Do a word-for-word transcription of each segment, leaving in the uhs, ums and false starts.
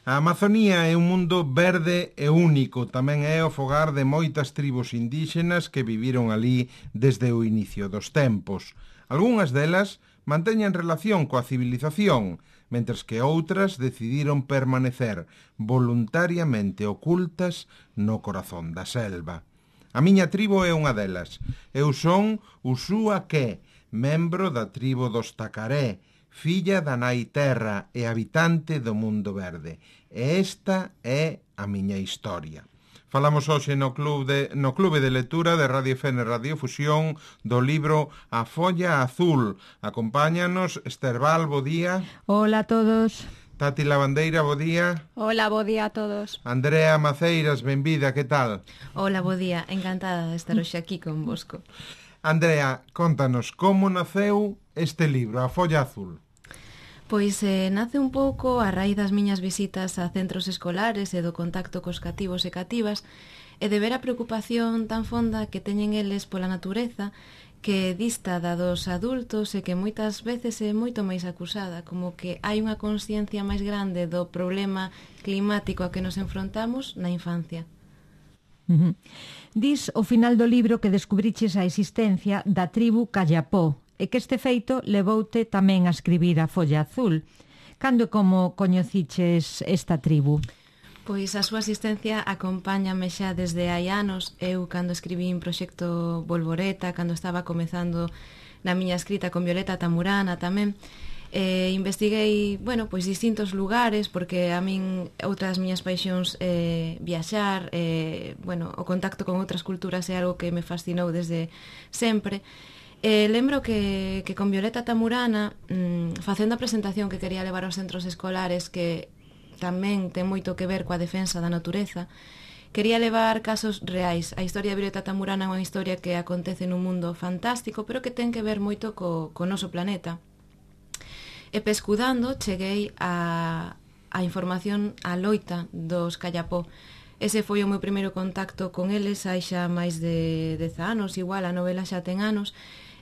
A Amazonía é un mundo verde e único, tamén é o fogar de moitas tribos indígenas que viviron ali desde o inicio dos tempos. Algúnas delas manteñen relación coa civilización, mentres que outras decidiron permanecer voluntariamente ocultas no corazón da selva. A miña tribo é unha delas. Eu son Usuaque, membro da tribo dos Tacaré, filla da nai terra e habitante do mundo verde. E esta é a miña historia. Falamos hoxe no, club de, no Clube de Lectura de Radio F N Radio Fusión do libro A Folla Azul. Acompáñanos Esther Val, bo día. Hola a todos. Tati Lavandeira, bo día. Hola, bo día a todos. Andrea Maceiras, benvida, que tal? Hola, bo día, encantada de estar hoxe aquí con vosco. Andrea, contanos, como naceu este libro, A Folla Azul? Pois eh, nace un pouco a raíz das miñas visitas a centros escolares e do contacto cos cativos e cativas e de ver a preocupación tan fonda que teñen eles pola natureza que dista da dos adultos e que moitas veces é moito máis acusada, como que hai unha consciencia máis grande do problema climático a que nos enfrontamos na infancia. Uh-huh. Dis ao final do libro que descubriches a existencia da tribu Callapó e que este feito levoute tamén a escribir A Folla Azul. Cando e como coñeciches esta tribu? Pois a súa asistencia acompáñame xa desde hai anos. Eu, cando escribín Proxecto Bolboreta, cando estaba comezando na miña escrita con Violeta Tamurana tamén, eh, investiguei, bueno, pois distintos lugares, porque a min outras miñas paixóns eh, viaxar, eh, bueno, o contacto con outras culturas é algo que me fascinou desde sempre. Eh, lembro que, que con Violeta Tamurana, mmm, facendo a presentación que quería levar aos centros escolares, que tamén ten moito que ver coa defensa da natureza, quería levar casos reais. A historia de Violeta Tamurana é unha historia que acontece nun mundo fantástico, pero que ten que ver moito co, co noso planeta. E pescudando, cheguei a, a información a loita dos Callapó. Ese foi o meu primeiro contacto con eles hai xa máis de dez anos, igual a novela xa ten anos,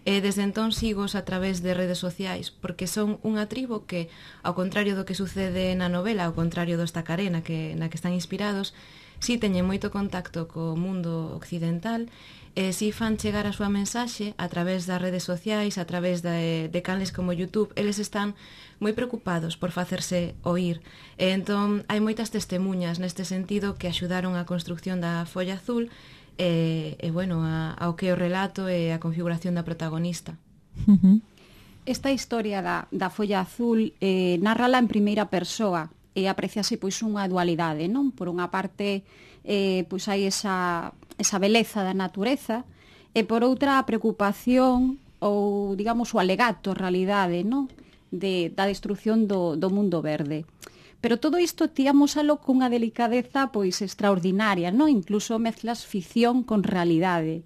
e desde entón sigos a través de redes sociais, porque son unha tribo que, ao contrario do que sucede na novela, ao contrario dos Tacaré, na que, na que están inspirados, si teñen moito contacto co mundo occidental, e si fan chegar a súa mensaxe a través das redes sociais, a través de, de canles como YouTube. Eles están moi preocupados por facerse oír, e entón hai moitas testemunhas neste sentido que axudaron á construcción da Folla Azul e, e bueno, a, ao que o relato e a configuración da protagonista. Uh-huh. Esta historia da, da Folla Azul eh, narrala en primeira persoa e apreciase pois unha dualidade, non? Por unha parte, eh, pois hai esa, esa beleza da natureza e por outra a preocupación ou, digamos, o alegato, realidade, non? De, da destrucción do, do mundo verde. Pero todo isto tíamosalo cunha delicadeza pois extraordinaria, non? Incluso mezclas ficción con realidade.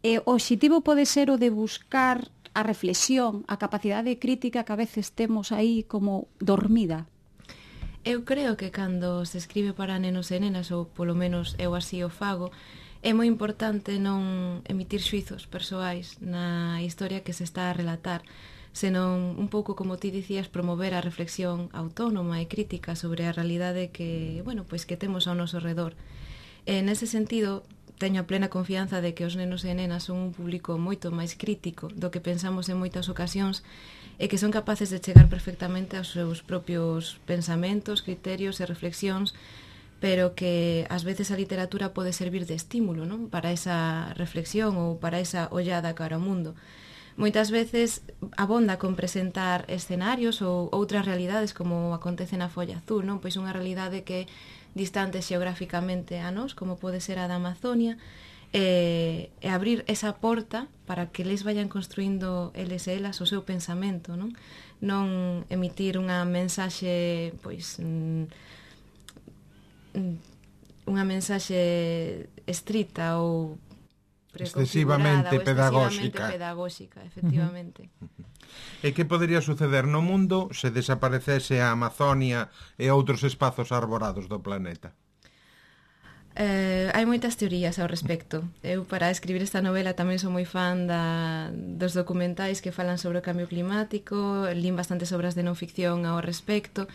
E o obxectivo pode ser o de buscar a reflexión, a capacidade crítica que a veces temos aí como dormida. Eu creo que cando se escribe para nenos e nenas, ou polo menos eu así o fago, é moi importante non emitir xuizos persoais na historia que se está a relatar, senón un pouco, como ti dicías, promover a reflexión autónoma e crítica sobre a realidade que, bueno, pois que temos ao noso redor. E nese sentido, teño a plena confianza de que os nenos e nenas son un público moito máis crítico do que pensamos en moitas ocasións e que son capaces de chegar perfectamente aos seus propios pensamentos, criterios e reflexións, pero que ás veces a literatura pode servir de estímulo, non? Para esa reflexión ou para esa ollada cara ao mundo. Moitas veces abonda con presentar escenarios ou outras realidades como acontece na Folla Azul, non? Pois unha realidade que é distante xeográficamente a nós, como pode ser a da Amazonia, e, e abrir esa porta para que les vayan construindo eles e elas o seu pensamento, non? Non emitir unha mensaxe, pois, unha mensaxe estrita ou excesivamente pedagóxica. pedagóxica, efectivamente. Uh-huh. E que podería suceder no mundo se desaparecese a Amazonia e outros espazos arborados do planeta? Eh, hai moitas teorías ao respecto. Eu, para escribir esta novela, tamén sou moi fan da, dos documentais que falan sobre o cambio climático, lín bastantes obras de non ficción ao respecto.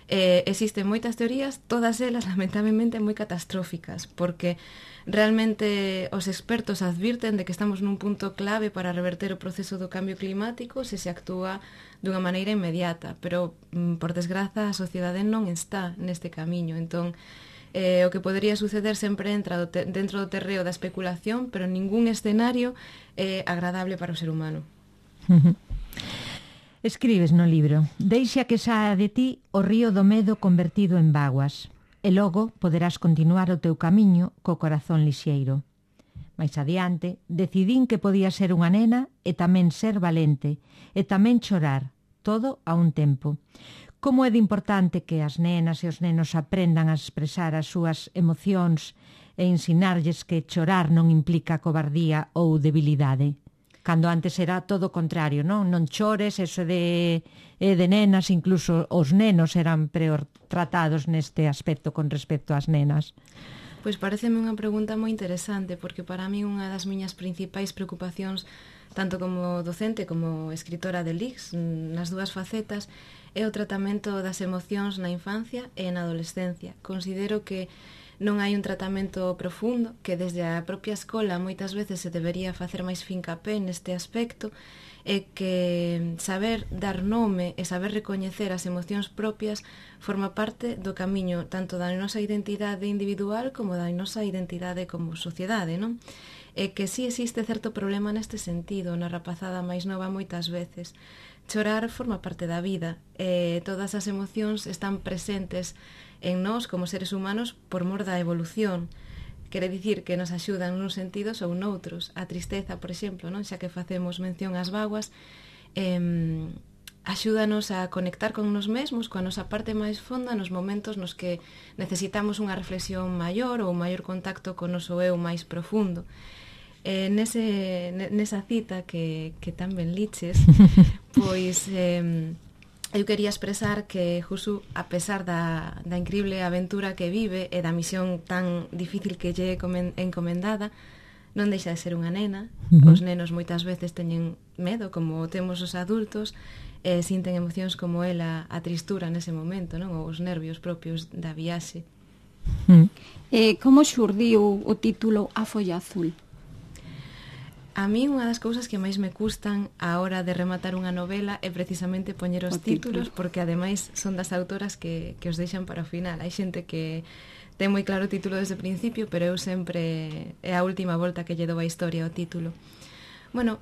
Eh, existen moitas teorías, todas elas lamentablemente moi catastróficas, porque realmente os expertos advirten de que estamos nun punto clave para reverter o proceso do cambio climático se se actúa dunha maneira inmediata, pero, por desgraza, a sociedade non está neste camiño. Entón, eh, o que podería suceder sempre entra do te dentro do terreo da especulación, pero ningún escenario é agradable para o ser humano. Escribes no libro: deixa que saia de ti o río do medo convertido en vaguas, e logo poderás continuar o teu camiño co corazón lixeiro. Mais adiante, decidín que podía ser unha nena e tamén ser valente, e tamén chorar, todo a un tempo. Como é de importante que as nenas e os nenos aprendan a expresar as súas emocións e ensinarlles que chorar non implica cobardía ou debilidade. Cando antes era todo o contrario, non? Non chores, eso de, de nenas, incluso os nenos eran peor tratados neste aspecto con respecto ás nenas. Pois pareceme unha pregunta moi interesante, porque para mí unha das miñas principais preocupacións, tanto como docente como escritora de L I C S, nas dúas facetas, é o tratamento das emocións na infancia e na adolescencia. Considero que non hai un tratamento profundo, que desde a propia escola moitas veces se debería facer máis fincapé neste aspecto, e que saber dar nome e saber recoñecer as emocións propias forma parte do camiño tanto da nosa identidade individual como da nosa identidade como sociedade, non? E que sí existe certo problema neste sentido na rapazada máis nova moitas veces. Chorar forma parte da vida e todas as emocións están presentes en nós como seres humanos por mor da evolución. Quere dicir que nos axudan nuns sentidos ou noutros. A tristeza, por exemplo, non? Xa que facemos mención ás vaguas, eh, axúdanos a conectar con nos mesmos, coa nosa parte máis fonda, nos momentos nos que necesitamos unha reflexión maior ou un maior contacto con o noso eu máis profundo. Eh, nese, nesa cita que, que tan ben liches, pois eh, eu quería expresar que Josu, a pesar da, da increíble aventura que vive e da misión tan difícil que lle encomendada, non deixa de ser unha nena. Uh-huh. Os nenos moitas veces teñen medo, como temos os adultos, e sinten emocións como ela, a tristura nese momento, non? Ou os nervios propios da viaxe. Uh-huh. Eh, como xurdiu o título A Folla Azul? A mí unha das cousas que máis me custan a hora de rematar unha novela é precisamente poñer os títulos, porque ademais son das autoras que, que os deixan para o final. Hai xente que ten moi claro o título desde o principio, pero eu sempre é a última volta que lle dou a historia ao título. Bueno,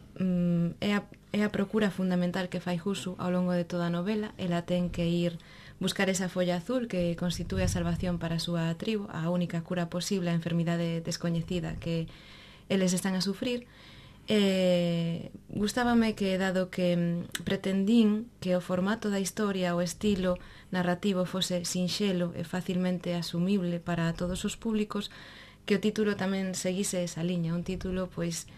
é a, é a procura fundamental que fai Josu ao longo de toda a novela. Ela ten que ir buscar esa folla azul que constitúe a salvación para a súa tribo, a única cura posible á enfermidade descoñecida que eles están a sufrir. Eh, gustábame que, dado que pretendín que o formato da historia, o estilo narrativo fose sinxelo e facilmente asumible para todos os públicos, que o título tamén seguise esa liña, un título pois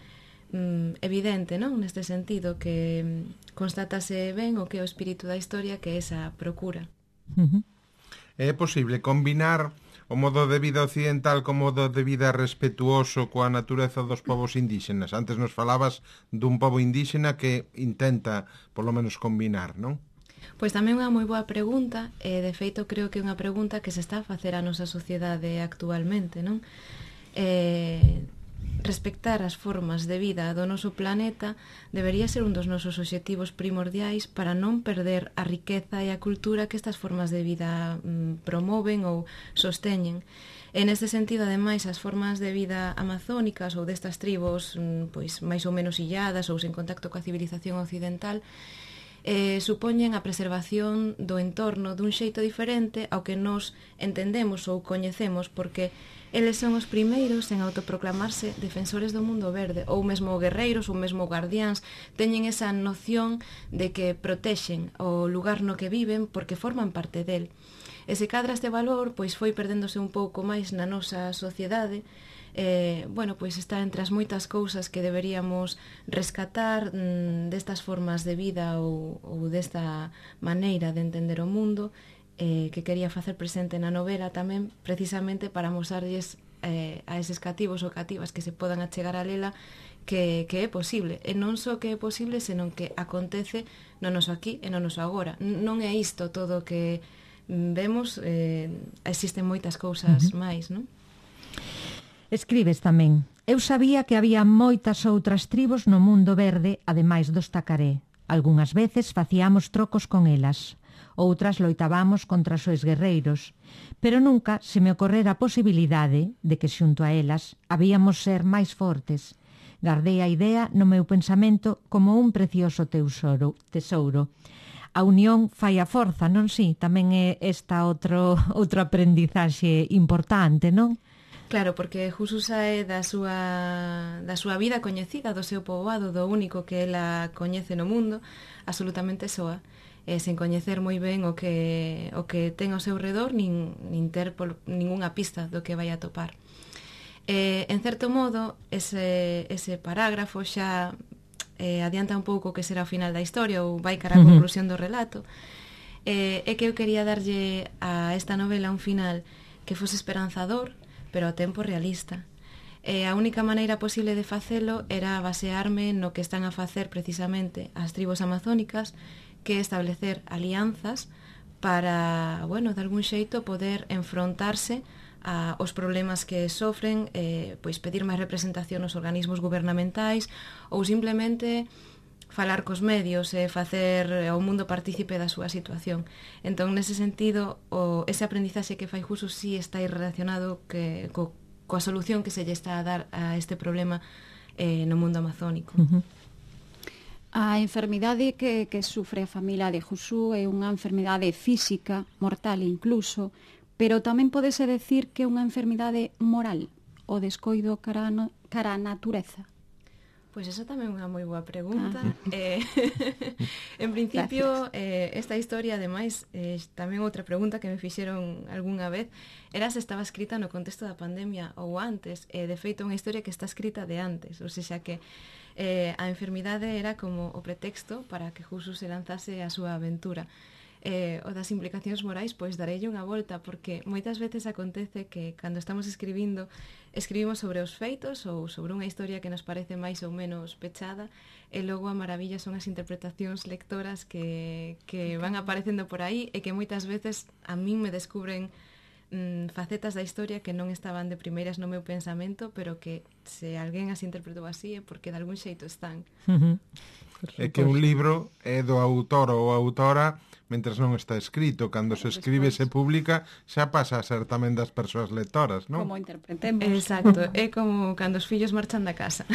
mm, evidente, non? Neste sentido, que constatase ben o que é o espírito da historia, que é esa procura. Uh-huh. É posible combinar o modo de vida occidental como modo de vida respetuoso coa natureza dos povos indígenas? Antes nos falabas dun povo indígena que intenta, polo menos, combinar, non? Pois tamén é unha moi boa pregunta, e de feito creo que é unha pregunta que se está a facer a nosa sociedade actualmente, non? Eh, respectar as formas de vida do noso planeta debería ser un dos nosos obxectivos primordiais para non perder a riqueza e a cultura que estas formas de vida mm, promoven ou sosteñen. En este sentido, ademais, as formas de vida amazónicas ou destas tribos mm, pois máis ou menos illadas ou sen contacto coa civilización occidental eh, supoñen a preservación do entorno dun xeito diferente ao que nos entendemos ou coñecemos, porque eles son os primeiros en autoproclamarse defensores do mundo verde, ou mesmo guerreiros, ou mesmo guardiáns. Teñen esa noción de que protexen o lugar no que viven porque forman parte del. E se cadra este valor, pois foi perdéndose un pouco máis na nosa sociedade. Eh, bueno, pois está entre as moitas cousas que deberíamos rescatar mm, destas formas de vida ou, ou desta maneira de entender o mundo, eh, que quería facer presente na novela tamén, precisamente para mostrarlles eh, a eses cativos ou cativas que se podan achegar a lela que, que é posible, e non só que é posible, senón que acontece no noso aquí e no noso agora. Non é isto todo que vemos, eh, existen moitas cousas uh-huh. máis, non? Escribes tamén: eu sabía que había moitas outras tribos no mundo verde, ademais dos tacaré. Algúnas veces facíamos trocos con elas, outras loitábamos contra os guerreiros, pero nunca se me ocorrera a posibilidade de que xunto a elas habíamos ser máis fortes. Gardei a idea no meu pensamento como un precioso tesouro. tesouro. A unión fai a forza, non si? Tamén é esta outro, outro aprendizaxe importante, non? Claro, porque Jusu sae da súa, da súa vida coñecida, do seu poboado, do único que ela coñece no mundo, absolutamente soa, e sen coñecer moi ben o que, o que ten ao seu redor, nin, nin ter por ningunha pista do que vai a topar. Eh, en certo modo, ese, ese parágrafo xa eh, adianta un pouco que será o final da historia ou vai cara a conclusión do relato. Eh, é que eu quería darlle a esta novela un final que fose esperanzador, pero ao tempo realista. E a única maneira posible de facelo era basearme no que están a facer precisamente as tribos amazónicas, que establecer alianzas para, bueno, de algún xeito poder enfrontarse a os problemas que sofren, eh, pois pedir máis representación nos organismos gubernamentais ou simplemente falar cos medios e facer ao mundo partícipe da súa situación. Entón, nese sentido, o, ese aprendizaxe que fai Jusu sí está relacionado que, co, coa solución que se lle está a dar a este problema eh, no mundo amazónico. Uh-huh. A enfermidade que, que sufre a familia de Jusu é unha enfermidade física, mortal incluso, pero tamén podese decir que é unha enfermidade moral, o descoido cara, no, cara a natureza. Pois esa tamén é unha moi boa pregunta. Ah. Eh, en principio, eh, esta historia, ademais, eh, tamén outra pregunta que me fixeron algunha vez, era se estaba escrita no contexto da pandemia ou antes. Eh, de feito, unha historia que está escrita de antes, ou seja que eh, a enfermidade era como o pretexto para que Jusu se lanzase a súa aventura. Eh, o das implicacións morais, pois darelle unha volta, porque moitas veces acontece que cando estamos escribindo escribimos sobre os feitos ou sobre unha historia que nos parece máis ou menos pechada, e logo a maravilla son as interpretacións lectoras que, que van aparecendo por aí e que moitas veces a min me descubren mm, facetas da historia que non estaban de primeiras no meu pensamento, pero que se alguén as interpretou así é porque de algún xeito están. Uh-huh. É que un libro é do autor ou autora mentres non está escrito. Cando se escribe e se publica, xa pasa a ser tamén das persoas lectoras, non? Como interpretemos. Exacto, é como cando os fillos marchan da casa.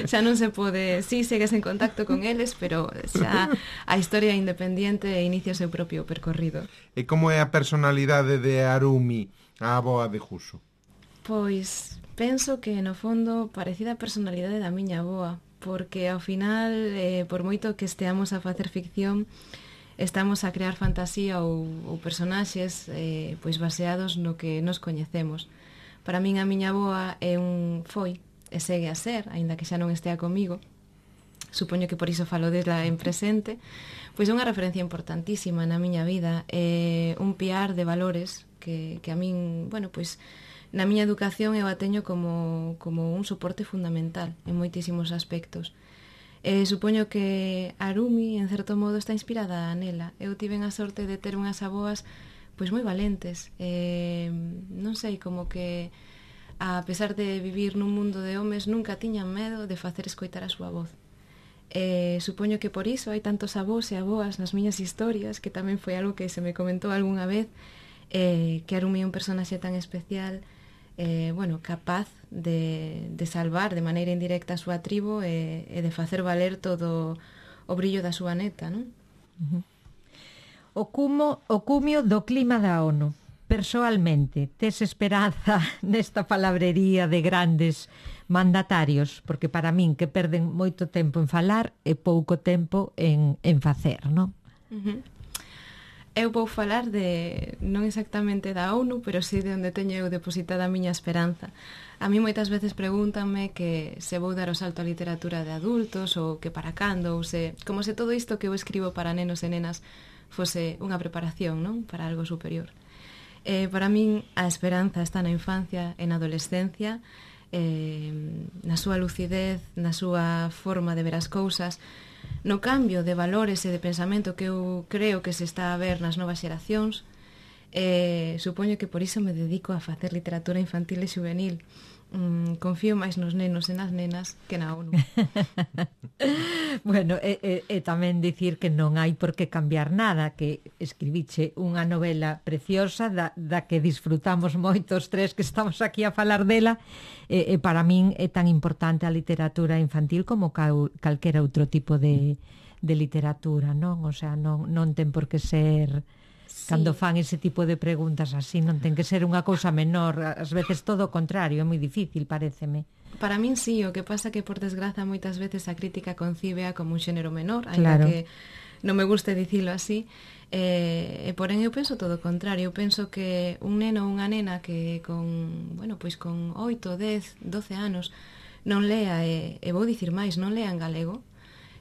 Xa non se pode, sí, segues en contacto con eles, pero xa a historia independiente inicia o seu propio percorrido. E como é a personalidade de Harumi, a avoa de Jusu? Pois penso que no fondo parecida a personalidade da miña avoa, porque ao final, eh, por moito que esteamos a facer ficción, estamos a crear fantasía ou, ou personaxes eh, pois baseados no que nos coñecemos. Para min a miña avoa é un foi, e segue a ser, aínda que xa non estea comigo, supoño que por iso falo desla en presente, pois é unha referencia importantísima na miña vida, é un piar de valores que, que a min, bueno, pois na miña educación eu a teño como, como un soporte fundamental en moitísimos aspectos. Eh, supoño que Harumi, en certo modo, está inspirada nela. Eu tiven a sorte de ter unhas avoas pois moi valentes. Eh, non sei, como que a pesar de vivir nun mundo de homes, nunca tiñan medo de facer escoitar a súa voz. Eh, supoño que por iso hai tantos avós e avoas nas miñas historias, que tamén foi algo que se me comentou algunha vez, eh, que Harumi é un personaxe tan especial, Eh, bueno, capaz de, de salvar de maneira indirecta a súa tribo e, e de facer valer todo o brillo da súa neta, non? Uh-huh. O, cumo, o cumio do clima da ONU. Persoalmente, tes esperanza nesta palabrería de grandes mandatarios? Porque para min que perden moito tempo en falar e pouco tempo en, en facer, non? Uh-huh. Eu vou falar de, non exactamente da ONU, pero sí de onde teño eu depositada a miña esperanza. A mí moitas veces pregúntame que se vou dar o salto á literatura de adultos ou que para cando, ou se, como se todo isto que eu escribo para nenos e nenas fose unha preparación, non? Para algo superior. Eh, para min a esperanza está na infancia e na adolescencia, eh, na súa lucidez, na súa forma de ver as cousas, no cambio de valores e de pensamento que eu creo que se está a ver nas novas xeracións. Eh, supoño que por iso me dedico a facer literatura infantil e juvenil. Mm, confío máis nos nenos e nas nenas que na ONU. Bueno, e, e, e tamén dicir que non hai por que cambiar nada, que escribiche unha novela preciosa da, da que disfrutamos moitos tres que estamos aquí a falar dela, e, e para min é tan importante a literatura infantil como cal, calquera outro tipo de, de literatura, non? O sea, non, non ten por que ser... Cando fan ese tipo de preguntas así, non ten que ser unha cousa menor, ás veces todo o contrario, é moi difícil, paréceme. Para min sí, o que pasa que por desgraza moitas veces a crítica concíbea como un xénero menor, claro. Ainda que non me guste dicilo así, eh, e porén eu penso todo o contrario, eu penso que un neno ou unha nena que con, bueno, pois con oito, dez, doce anos non lea, e, e vou dicir máis, non lea en galego,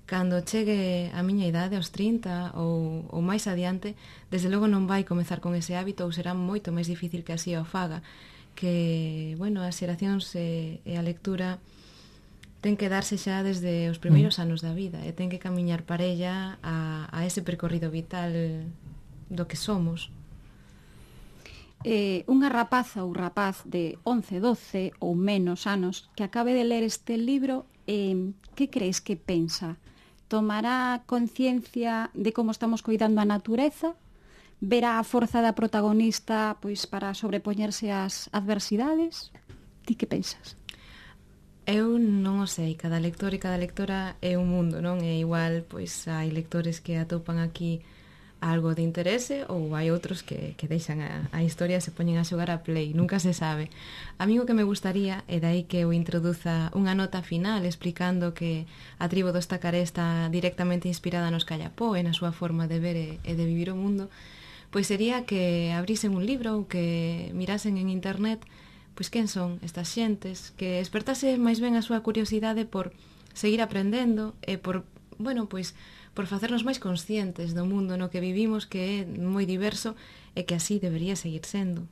cando chegue a miña idade, aos trinta ou, ou máis adiante, desde logo non vai comezar con ese hábito ou será moito máis difícil que así o faga, que, bueno, as xeracións e, e a lectura ten que darse xa desde os primeiros mm. anos da vida e ten que camiñar parella a, a ese percorrido vital do que somos. Eh, unha rapaza ou rapaz de once, doce ou menos anos que acabe de ler este libro, eh, que crees que pensa? Tomará conciencia de como estamos coidando a natureza? Verá a forza da protagonista pois para sobrepoñerse ás adversidades? Ti que pensas? Eu non o sei, cada lector e cada lectora é un mundo, non? É igual, pois hai lectores que atopan aquí algo de interese ou hai outros que, que deixan a, a historia e se poñen a xogar a play, nunca se sabe. A mí o que me gustaría é dai que eu introduza unha nota final explicando que a tribo dos Tacaré está directamente inspirada nos Callapó e na súa forma de ver e, e de vivir o mundo, pois sería que abrisen un libro ou que mirasen en internet pois quen son estas xentes, que despertase máis ben a súa curiosidade por seguir aprendendo e por, bueno, pois por facernos máis conscientes do mundo no que vivimos, que é moi diverso e que así debería seguir sendo.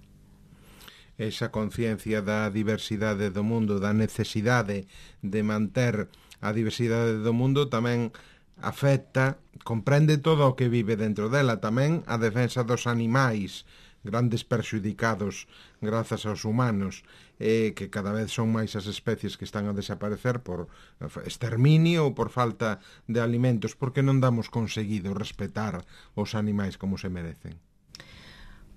Esa conciencia da diversidade do mundo, da necesidade de manter a diversidade do mundo tamén afecta, comprende todo o que vive dentro dela, tamén a defensa dos animais, grandes perxudicados grazas aos humanos, e que cada vez son máis as especies que están a desaparecer por exterminio ou por falta de alimentos, porque non damos conseguido respetar os animais como se merecen.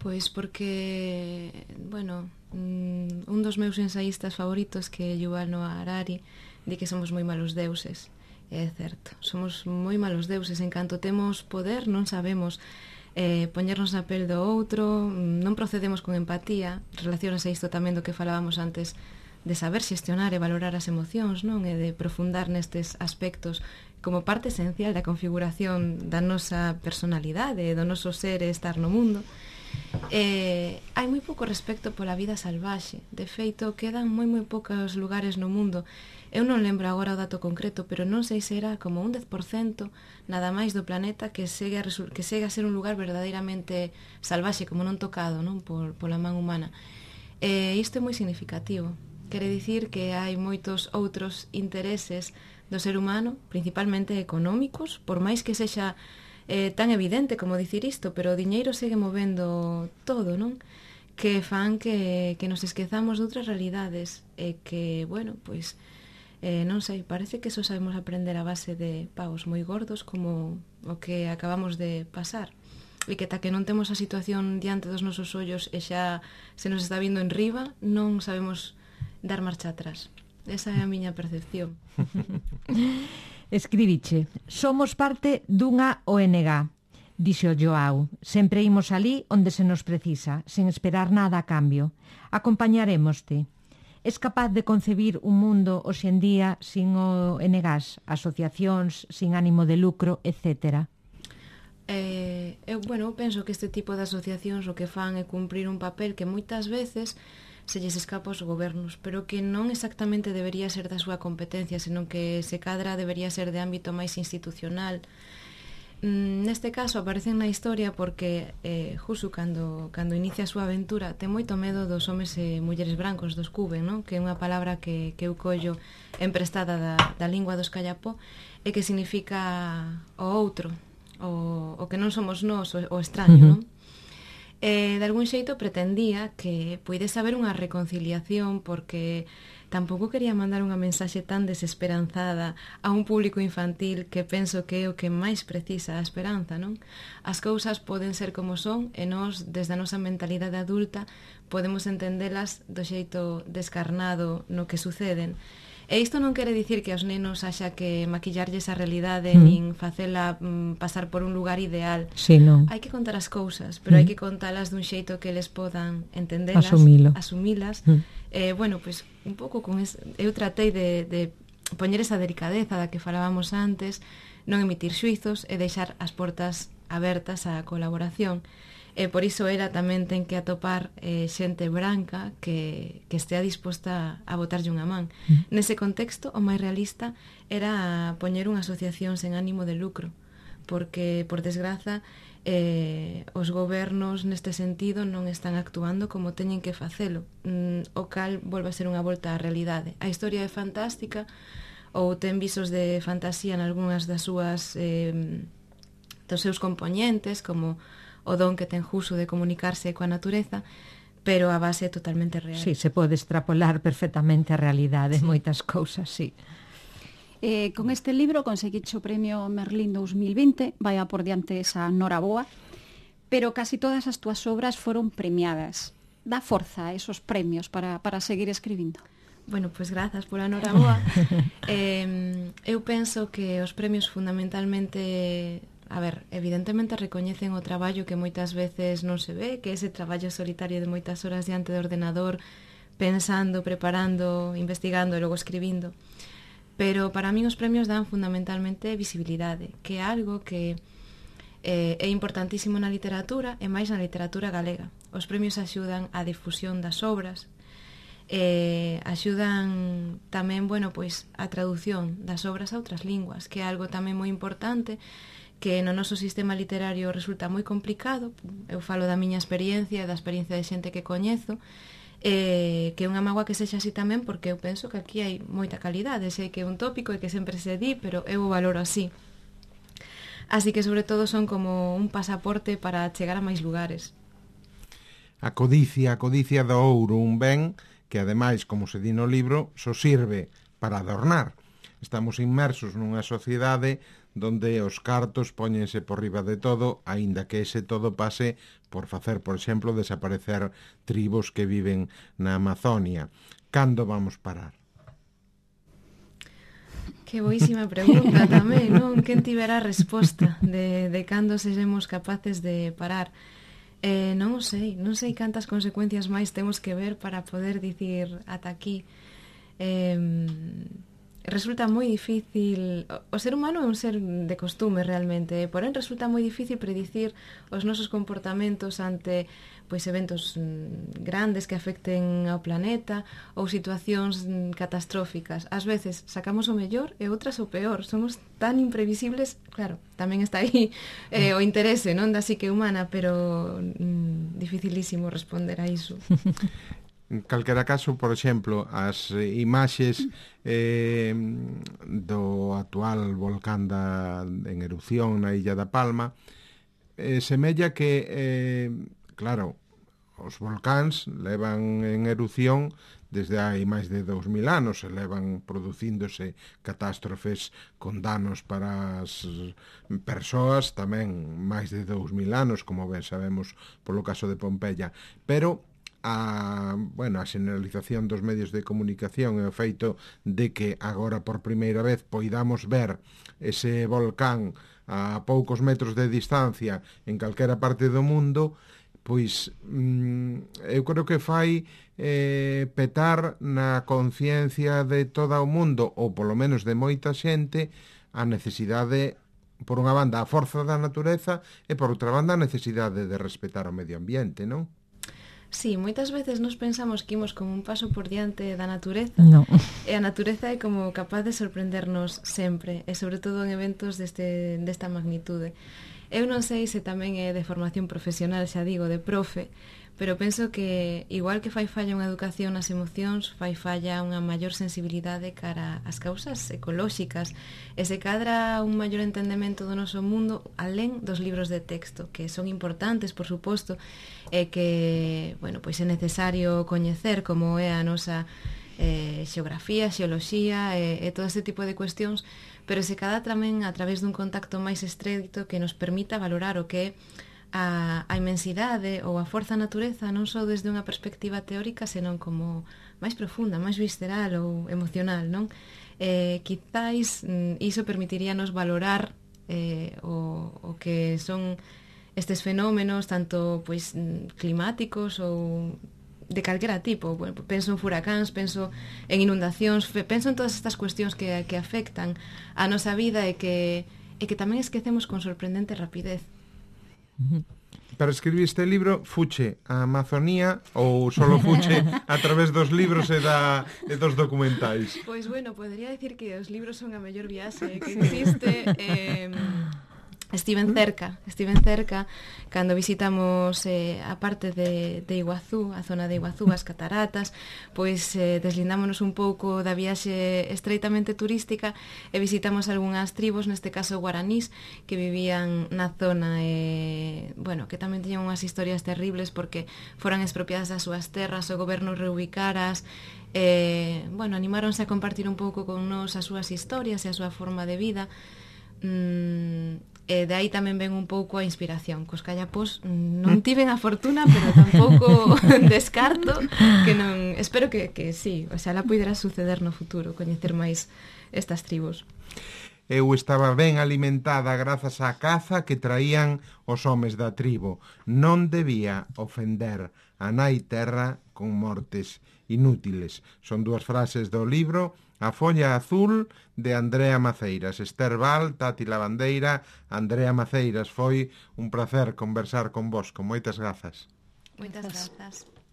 Pois porque, bueno, un dos meus ensaístas favoritos, que é Yuval Noah Harari, di que somos moi malos deuses. É certo, somos moi malos deuses, en canto temos poder non sabemos eh, poñernos na pel do outro, non procedemos con empatía, relacionas a isto tamén do que falábamos antes, de saber xestionar e valorar as emocións, non? E de profundar nestes aspectos como parte esencial da configuración da nosa personalidade e do noso ser e estar no mundo. Eh, hai moi pouco respecto pola vida salvaxe, de feito quedan moi moi poucos lugares no mundo. Eu non lembro agora o dato concreto, pero non sei se era como un dez por cento nada máis do planeta que segue a, que segue a ser un lugar verdadeiramente salvaxe, como non tocado, non? Por, pola man humana. E isto é moi significativo. Quere dicir que hai moitos outros intereses do ser humano, principalmente económicos, por máis que sexa eh, tan evidente como dicir isto, pero o diñeiro segue movendo todo, non? Que fan que, que nos esquezamos de outras realidades e que, bueno, pois Eh, non sei, parece que só sabemos aprender a base de pagos moi gordos como o que acabamos de pasar, e que ta que non temos a situación diante dos nosos ollos e xa se nos está vindo en riba, non sabemos dar marcha atrás. Esa é a miña percepción. Escribiche: somos parte dunha O N G, dixo Joao. Sempre imos ali onde se nos precisa, sen esperar nada a cambio. Acompañarémoste. Es capaz de concebir un mundo hoxe en día sin O N Gs, asociacións sin ánimo de lucro, etcétera? Eh, eu, bueno, eu penso que este tipo de asociacións o que fan é cumprir un papel que moitas veces se lles escapa aos gobernos, pero que non exactamente debería ser da súa competencia, senón que se cadra debería ser de ámbito máis institucional. Neste caso aparecen na historia porque eh, Husu cando, cando inicia a súa aventura ten moito medo dos homes e mulleres brancos, dos Kuben, non? Que é unha palabra que, que eu collo emprestada da, da lingua dos Kayapó e que significa o outro, o, o que non somos nós, o, o extraño, uh-huh. non? E de algún xeito pretendía que puidese haber unha reconciliación porque tampouco quería mandar unha mensaxe tan desesperanzada a un público infantil que penso que é o que máis precisa a esperanza, non? As cousas poden ser como son e nós, desde a nosa mentalidade adulta, podemos entendelas do xeito descarnado no que suceden. E isto non quere dicir que aos nenos haxa que maquillarlles a realidade, mm. nin facela mm, pasar por un lugar ideal. Sí, non. Hai que contar as cousas, pero mm. hai que contalas dun xeito que eles podan entendelas, Asumilo. asumilas. Mm. Eh, bueno, pois, pues, un pouco con es... eu tratei de, de poñer esa delicadeza da que falábamos antes, non emitir xuizos e deixar as portas abertas á colaboración. E por iso era tamén ten que atopar eh, xente branca que, que estea disposta a botarlle unha man. Mm. Nese contexto, o máis realista era poñer unha asociación sen ánimo de lucro, porque, por desgraza, eh, os gobernos neste sentido non están actuando como teñen que facelo, mm, o cal volve a ser unha volta á realidade. A historia é fantástica, ou ten visos de fantasía en algunhas das súas eh, dos seus componentes, como o don que ten Husu de comunicarse coa natureza, pero a base é totalmente real. Sí, se pode extrapolar perfectamente a realidade, sí. Moitas cousas, sí. Eh, con este libro conseguiche o premio Merlín dos mil vinte, vai a por diante esa noraboa, pero casi todas as túas obras foron premiadas. Dá forza a esos premios para, para seguir escribindo? Bueno, pois pues grazas pola noraboa. eh, eu penso que os premios fundamentalmente... A ver, evidentemente recoñecen o traballo que moitas veces non se ve, que ese traballo solitario de moitas horas diante do ordenador, pensando, preparando, investigando e logo escribindo. Pero para min os premios dan fundamentalmente visibilidade, que é algo que eh, é importantísimo na literatura e máis na literatura galega. Os premios axudan á difusión das obras, eh, axudan tamén, bueno, pois, a traducción das obras a outras linguas, que é algo tamén moi importante, que no noso sistema literario resulta moi complicado. Eu falo da miña experiencia, da experiencia de xente que coñezo, eh, que é unha mágoa que sexa así tamén, porque eu penso que aquí hai moita calidade, sei que é un tópico e que sempre se di, pero eu o valoro así. Así que sobre todo son como un pasaporte para chegar a máis lugares. A codicia, a codicia do ouro, un ben que ademais, como se di no libro, só sirve para adornar. Estamos inmersos nunha sociedade donde os cartos póñense por riba de todo, aínda que ese todo pase por facer, por exemplo, desaparecer tribos que viven na Amazonia. Cando vamos parar? Que boísima pregunta tamén, non? Quen tivera a resposta de, de cando seremos capaces de parar? Eh, non o sei, non sei cantas consecuencias máis temos que ver para poder dicir ata aquí. Eh... Resulta moi difícil, o ser humano é un ser de costume realmente, porén resulta moi difícil predicir os nosos comportamentos ante pois eventos grandes que afecten ao planeta ou situacións catastróficas. Ás veces sacamos o mellor e outras o peor, somos tan imprevisibles, claro, tamén está aí eh, o interese, non, da psique humana, pero mm, dificilísimo responder a iso. En calquera caso, por exemplo, as imaxes eh, do actual volcán da, en erupción na Illa da Palma eh, semella que, eh, claro, os volcáns levan en erupción desde hai máis de dous mil anos, e levan producíndose catástrofes con danos para as persoas tamén máis de dous mil anos, como ben sabemos polo caso de Pompeia, pero a, bueno, a xeneralización dos medios de comunicación e o feito de que agora por primeira vez poidamos ver ese volcán a poucos metros de distancia en calquera parte do mundo, pois mm, eu creo que fai eh, petar na conciencia de todo o mundo, ou polo menos de moita xente, a necesidade, por unha banda, a forza da natureza, e por outra banda, a necesidade de respetar o medio ambiente, non? Sí, moitas veces nos pensamos que imos como un paso por diante da natureza. No. E a natureza é como capaz de sorprendernos sempre, e sobre todo en eventos deste, desta magnitude. Eu non sei se tamén é de formación profesional, xa digo, de profe, pero penso que igual que fai falla unha educación nas emocións, fai falla unha maior sensibilidade cara ás causas ecolóxicas, e se cadra un maior entendemento do noso mundo alén dos libros de texto, que son importantes, por suposto, e que, bueno, pois é necesario coñecer como é a nosa eh, xeografía, xeoloxía e, e todo este tipo de cuestións, pero se cadra tamén a través dun contacto máis estreito que nos permita valorar o que é a, a inmensidade ou a forza natureza non só desde unha perspectiva teórica, senón como máis profunda, máis visceral ou emocional, non? Eh, quizáis mm, iso permitiríanos valorar eh, o, o que son estes fenómenos tanto pois climáticos ou de calquera tipo. Bueno, penso en furacáns, penso en inundacións, penso en todas estas cuestións que, que afectan a nosa vida e que, e que tamén esquecemos con sorprendente rapidez. Para escribir este libro, fuche a Amazonía ou solo fuche a través dos libros e, da, e dos documentais? Pois bueno, podría decir que os libros son a mellor viaxe que existe. eh, Estiven cerca, estiven cerca cando visitamos eh, a parte de, de Iguazú, a zona de Iguazú, as cataratas, pois eh, deslindámonos un pouco da viaxe estreitamente turística e visitamos algunhas tribos, neste caso guaranís, que vivían na zona e, bueno, que tamén tiñan unhas historias terribles porque foran expropiadas das súas terras, o goberno reubicaras, e, bueno, animáronse a compartir un pouco con nos as súas historias e a súa forma de vida. Mm, E de aí tamén ven un pouco a inspiración. Cos callapós non tiven a fortuna, pero tampouco descarto que non... Espero que, que sí, o sea, la puidera suceder no futuro, coñecer máis estas tribos. Eu estaba ben alimentada grazas á caza que traían os homes da tribo. Non debía ofender a nai terra con mortes inútiles. Son dúas frases do libro A folla azul de Andrea Maceiras. Esther Val, Tati Lavandeira, Andrea Maceiras. Foi un placer conversar con vos, con moitas grazas. Moitas grazas.